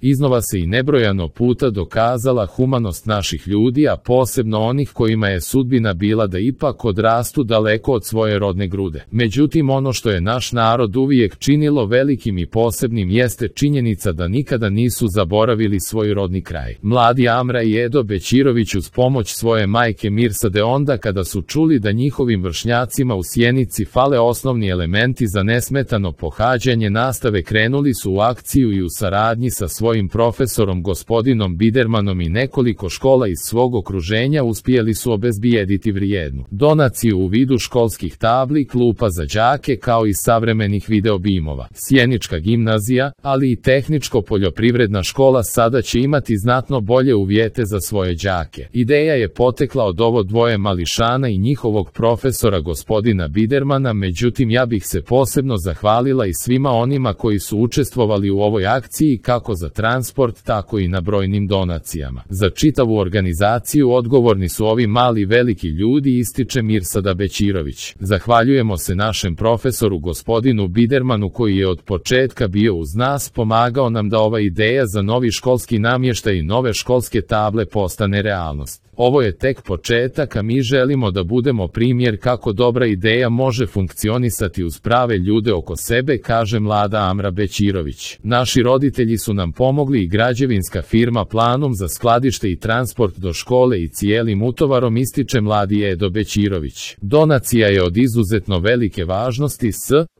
Iznova se i nebrojano puta dokazala humanost naših ljudi, a posebno onih kojima je sudbina bila da ipak odrastu daleko od svoje rodne grude. Međutim, ono što je naš narod uvijek činilo velikim i posebnim jeste činjenica da nikada nisu zaboravili svoj rodni kraj. Mladi Amra i Edo Bećirović uz pomoć svoje majke Mirsade onda kada su čuli da njihovim vršnjacima u Sjenici fale osnovni elementi za nesmetano pohađanje nastave, krenuli su u akciju i u saradnji sa svojim profesorom gospodinom Bidermanom i nekoliko škola iz svog okruženja uspjeli su obezbijediti vrijednu donaciju u vidu školskih tabli, klupa za đake kao i savremenih videobimova. Sjenička gimnazija, ali i tehničko-poljoprivredna škola sada će imati znatno bolje uvjete za svoje đake. Ideja je potekla od ovo dvoje mališana i njihovog profesora gospodina Bidermana, međutim ja bih se posebno zahvalila i svima onima koji su učestvovali u ovoj akciji kako za transport tako i na brojnim donacijama. Za čitavu organizaciju odgovorni su ovi mali veliki ljudi, ističe Mirsada Bećirović. Zahvaljujemo se našem profesoru gospodinu Bidermanu koji je od početka bio uz nas, pomagao nam da ova ideja za novi školski namještaj i nove školske table postane realnost. Ovo je tek početak, a mi želimo da budemo primjer kako dobra ideja može funkcionisati uz prave ljude oko sebe, kaže mlada Amra Bećirović. Naši roditelji su nam pomogli i građevinska firma Planum za skladište i transport do škole i cijelim utovarom, ističe mladi Edo Bećirović. Donacija je od izuzetno velike važnosti,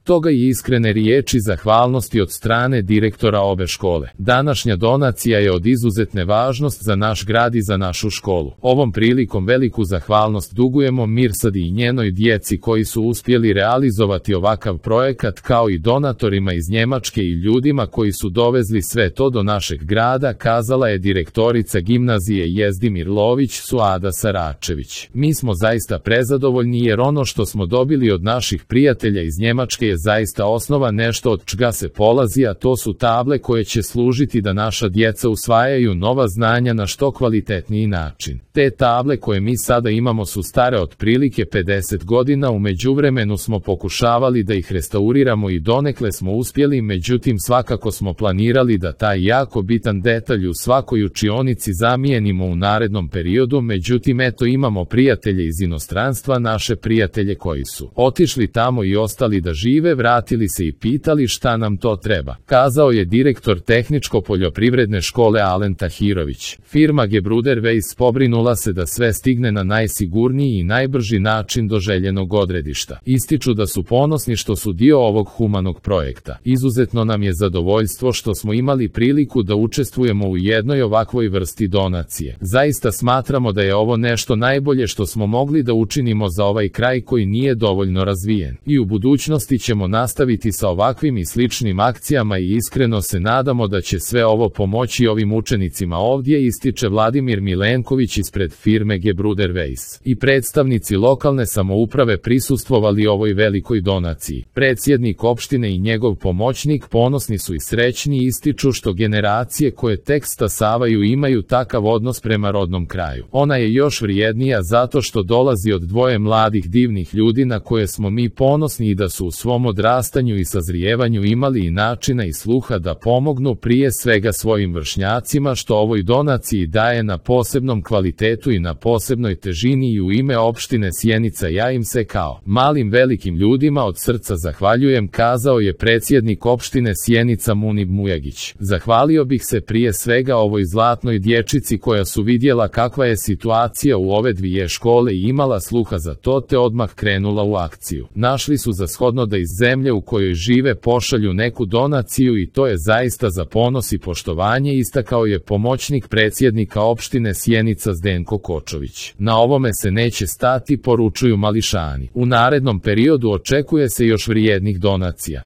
toga i iskrene riječi zahvalnosti od strane direktora obe škole. Današnja donacija je od izuzetne važnosti za naš grad i za našu školu. Ovom prilikom veliku zahvalnost dugujemo Mirsadi i njenoj djeci koji su uspjeli realizovati ovakav projekat, kao i donatorima iz Njemačke i ljudima koji su dovezli sve to do našeg grada, kazala je direktorica gimnazije Jezdimir Lović Suada Saračević. Mi smo zaista prezadovoljni jer ono što smo dobili od naših prijatelja iz Njemačke je zaista osnova, nešto od čega se polazi, a to su table koje će služiti da naša djeca usvajaju nova znanja na što kvalitetniji način. Te table koje mi sada imamo su stare otprilike 50 godina, u međuvremenu smo pokušavali da ih restauriramo i donekle smo uspjeli, međutim svakako smo planirali da taj jako bitan detalj u svakoj učionici zamijenimo u narednom periodu, međutim eto imamo prijatelje iz inostranstva, naše prijatelje koji su otišli tamo i ostali da žive, vratili se i pitali šta nam to treba, kazao je direktor tehničko-poljoprivredne škole Alen Tahirović. Firma Gebruder Weiss pobrinula se da sve stigne na najsigurniji i najbrži način do željenog odredišta. Ističu da su ponosni što su dio ovog humanog projekta. Izuzetno nam je zadovoljstvo što smo imali priliku da učestvujemo u jednoj ovakvoj vrsti donacije. Zaista smatramo da je ovo nešto najbolje što smo mogli da učinimo za ovaj kraj koji nije dovoljno razvijen. I u budućnosti ćemo nastaviti sa ovakvim i sličnim akcijama i iskreno se nadamo da će sve ovo pomoći ovim učenicima ovdje, ističe Vladimir Milenković ispred firme Gebruder Weiss. I predstavnici lokalne samouprave prisustvovali ovoj velikoj donaciji. Predsjednik opštine i njegov pomoćnik ponosni su i srećni, ističu što generacije koje tek stasavaju imaju takav odnos prema rodnom kraju. Ona je još vrijednija zato što dolazi od dvoje mladih divnih ljudi na koje smo mi ponosni i da su u svom odrastanju i sazrijevanju imali i načina i sluha da pomognu prije svega svojim vršnjacima, što ovoj donaciji daje na posebnom kvalitetu i na posebnoj težini, i u ime opštine Sjenica ja im se kao malim velikim ljudima od srca zahvaljujem, kazao je predsjednik opštine Sjenica Munib Mujagić. Zahvalio bih se prije svega ovoj zlatnoj dječici koja su vidjela kakva je situacija u ove dvije škole i imala sluha za to te odmah krenula u akciju. Našli su za shodno da iz zemlje u kojoj žive pošalju neku donaciju i to je zaista za ponos i poštovanje, istakao je pomoćnik predsjednika opštine Sjenica Zdenko Kočović. Na ovome se neće stati, poručuju mališani. U narednom periodu očekuje se još vrijednih donacija.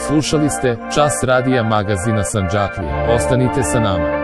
Slušali ste Čas radija magazina Sandžaklija. Ostanite sa nama.